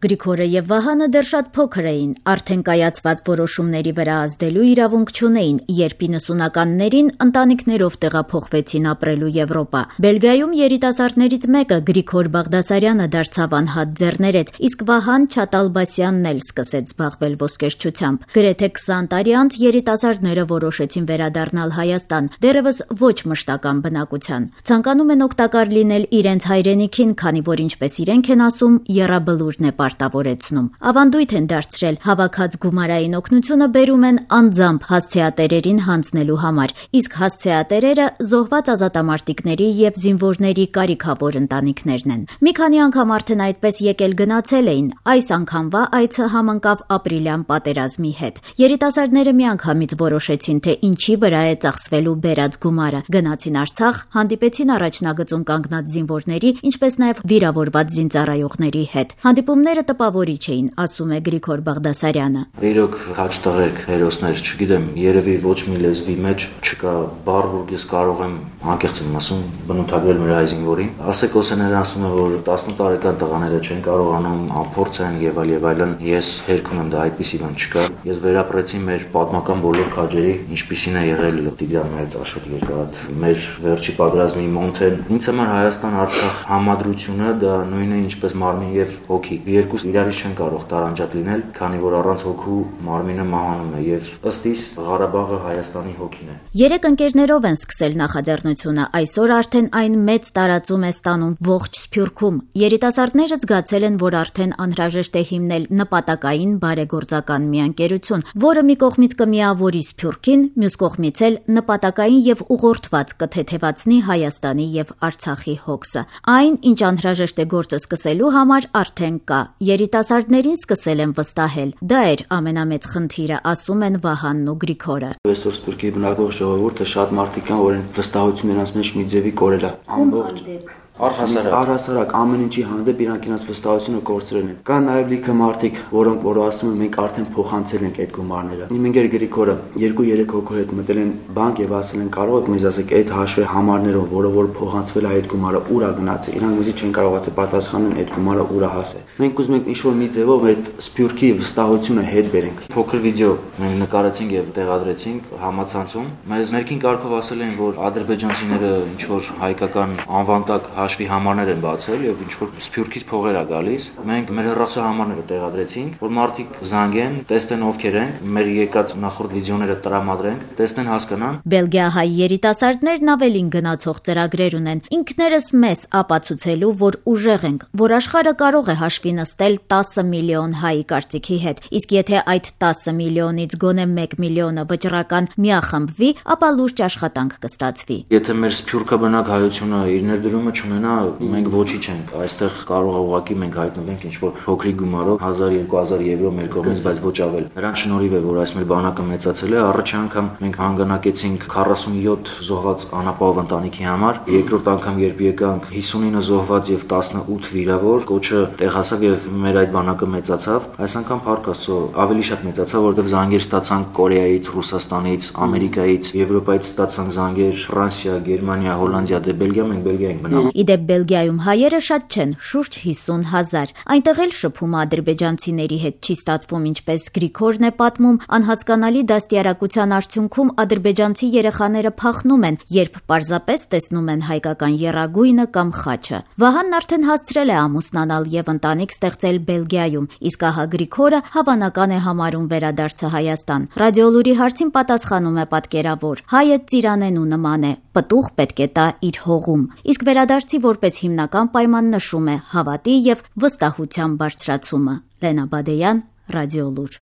Գրիգորը եւ Վահանը դեռ շատ փոքր էին, արդեն կայացված որոշումների վրա ազդելու իրավունք չունեին, երբ 90-ականներին ընտանիքներով տեղափոխվեցին ապրելու Եվրոպա։ Բելգիայում երիտասարդներից մեկը Գրիգոր Բաղդասարյանը դարձավ անհատ ձեռներեց, իսկ Վահան Չատալբասյանն էլ սկսեց զբաղվել ոսկերչությամբ։ Գրեթե 20 տարի անց երիտասարդները որոշեցին վերադառնալ Հայաստան, դեռևս ոչ մշտական բնակության։ Ցանկանում են օգտակար լինել իրենց հայրենիքին, քանի որ ինչպես իրենք են ասում, եռաբլուրն է պարտավորեցնում։ Ավանդույթ են դարձրել, հավաքած գումարային օգնությունը բերում են անձամբ հասցեատերերին հանձնելու համար, իսկ հասցեատերերը զոհված ազատամարտիկների եւ զինվորների կարիքավոր ընտանիքներն են։ Մի քանի անգամ արդեն այդպես եկել գնացել էին, այս անգամվա այցը համընկավ ապրիլյան պատերազմի հետ։ Երիտասարդները միանգամից որոշեցին, թե ինչի վրա է ծախսվելու բերած գումարը։ Գնացին Արցախ, հանդիպեցին առաջնագծում կանգնած զինվորների, ինչպես նաեւ վիրավորված զինծառայողների հետ։ Հանդիպումները տպավորիչ էին, ասում է Գրիգոր Բաղդասարյանը։ Իրոք հաճ տղերք, հերոսներ, չգիտեմ, երևի ոչ մի լեզվի մեջ չկա բառ, որ ես կարող եմ անկեղծ եմ ասում, բնութագրել մեր հայ զինվորին։ Ասեկոսեները ասում են, որ 18 տարեկան տղաները չեն կարողանում, անփորձ են եւ այլն։ Ես հերք ունեմ, դա այդպիսի բան չկա։ Ես վերապրեցի մեր պատմական բոլոր քաջերի, ինչպիսին է եղել Տիգրան Մեծաշոտ երկաթ, մեր վերջի պատերազմի Մոնթեն։ Ինձ համար Հայաստան-Արցախ համադրությունը դա նույնն է ինչպես մարմին եւ հոգի։ Երկուսը իրարից չեն կարող տարանջատ լինել, քանի որ առանց հոգու մարմինը մահանում է եւ ըստ իս Ղարաբաղը Հայաստանի հոգին է։ 3 ընկերներով են սկսել նախաձեռնությունը, այսօր արդեն այն մեծ տարածում է ստանում ողջ Սփյուռքում։ Երիտասարդները զգացել են, որ արդեն անհրաժեշտ է հիմնել նպատակային բարեգործական մի ընկերություն, որը մի կողմից կմիավորի Սփյուռքին, մյուս կողմից էլ նպատակային եւ ուղղորդված կթեթևացնի Հայաստանի եւ Արցախի հոգսը։ Այն, ինչ անհրաժեշտ է գործը սկսելու համար, արդեն կա։ Երիտասարդներին սկսել են վստահել։ Դա էր ամենամեծ խնդիրը, ասում են Վահանն ու Գրիգորը։ Այսօր Սփյուռքի բնակվող ժողովուրդը շատ մարդիկ կան, որ վստահություն նրանց մեջ մի ձևի կորել է։ Ամբողջ առհասարակ ամեն ինչի հանդեպ իրանք իրենց վստահությունը կորցրել են։ Կան նաև լիքը մարդիկ, որոնք որ ասում են մենք արդեն փոխանցել ենք այդ գումարները։ Իմ ընկեր Գրիգորը 2-3 հոգու հետ մտել են բանկ եւ ասել են կարող եք մեզ ասեք այդ հաշվի համարներով, որը փոխանցվել է այդ գումարը ուր է գնացել։ Իրանք մեզի չեն կարողացել պատասխանել այդ գումարը ուր է հասել։ Մենք ուզում ենք ինչ-որ մի ձևով այդ Սփյուռքի վստահությունը հետ բերենք։ Փոքր վիդեո մենք նկարեցինք եւ տեղադրեցինք համացանցում։ Մեզ ներքին կարգով ասել են, որ ադրբեջանցիները ինչ որ հայկական անվանտակ հաշվի համարներ են բացել եւ ինչ որ Սփյուռքից փողեր է գալիս։ Մենք մեր հեռախոսի համարները տեղադրեցինք, որ մարդիկ զանգեն, տեսնեն ովքեր են, մեր եկած նախորդ վիդեոները տրամադրենք, տեսնեն, հասկանան։ Բելգիահայ երիտասարդներն ավելին գնացող ծրագրեր ունեն, ինքներս մեզ ապացուցելու, որ ուժեղ ենք, որ աշխարհը կարող է հաշվի նստել 10 միլիոն հայի կարծիքի հետ, իսկ եթե այդ 10 միլիոնից գոնե 1 միլիոնը վճռական միախմբվի, ապա լուրջ աշխատանք կստացվի։ Եթե մեր Սփյուռքաբնակ հայությունը իր ներդրումը չունենա, մենք ոչինչ ենք։ Այստեղ կարող է ուղղակի մենք հայտնվենք ինչ-որ փոքրիկ գումարով 1000-2000 եվրո մեր կողմից, բայց ոչ ավել։ Նրան շնորհիվ է, որ այս մեր բանակը մեծացել է։ Առաջին անգամ մենք հանգանակեցինք 47 զոհված անապահով ընտանիքի համար, երկրորդ անգամ երբ եկանք 59 զոհված եւ 18 վիրավոր, կոչը տեղ հասավ եւ մեր այդ բանակը մեծացավ։ Այս անգամ փառք Աստծո ավելի շատ մեծացավ, որովհետեւ զանգեր ստացանք Կորեայից, Ռուսաստանից, Ամերիկայից, Եվրոպայից ստացանք զանգեր, Ֆրանսիա, Գերմանիա, Հոլանդիա, դե Բելգիա, մենք Բելգիա ենք մնալ։ Իդեպ Բելգիայում հայերը շատ չեն, շուրջ 50,000։ Այնտեղ էլ շփումը ադրբեջանցիների հետ չի ստացվում, ինչպես Գրիգորն է պատմում, անհասկանալի դաստիարակության արդյունքում ադրբեջանցի երեխաները փախնում են, երբ պարզապես տեսնում են հայկական եռագույնը կամ խաչը։ Վահանն արդեն հասցրել է ամուսնանալ եւ ընտանիք ստեղծել Բելգիայում, իսկ ահա Գրիգորը հավանական է համարում վերադարձը Հայաստան։ Ռադիոլուրի հարցին պատասխանում է պատկերավոր. հայը ծիրանենու նման է, պտուղ պետք է տա իր հողում։ Իսկ վերադարձի որպես հիմնական պայման նշում է հավատի եւ վստահության բարձրացումը։ Լենա Բադեյան, Ռադիոլուր։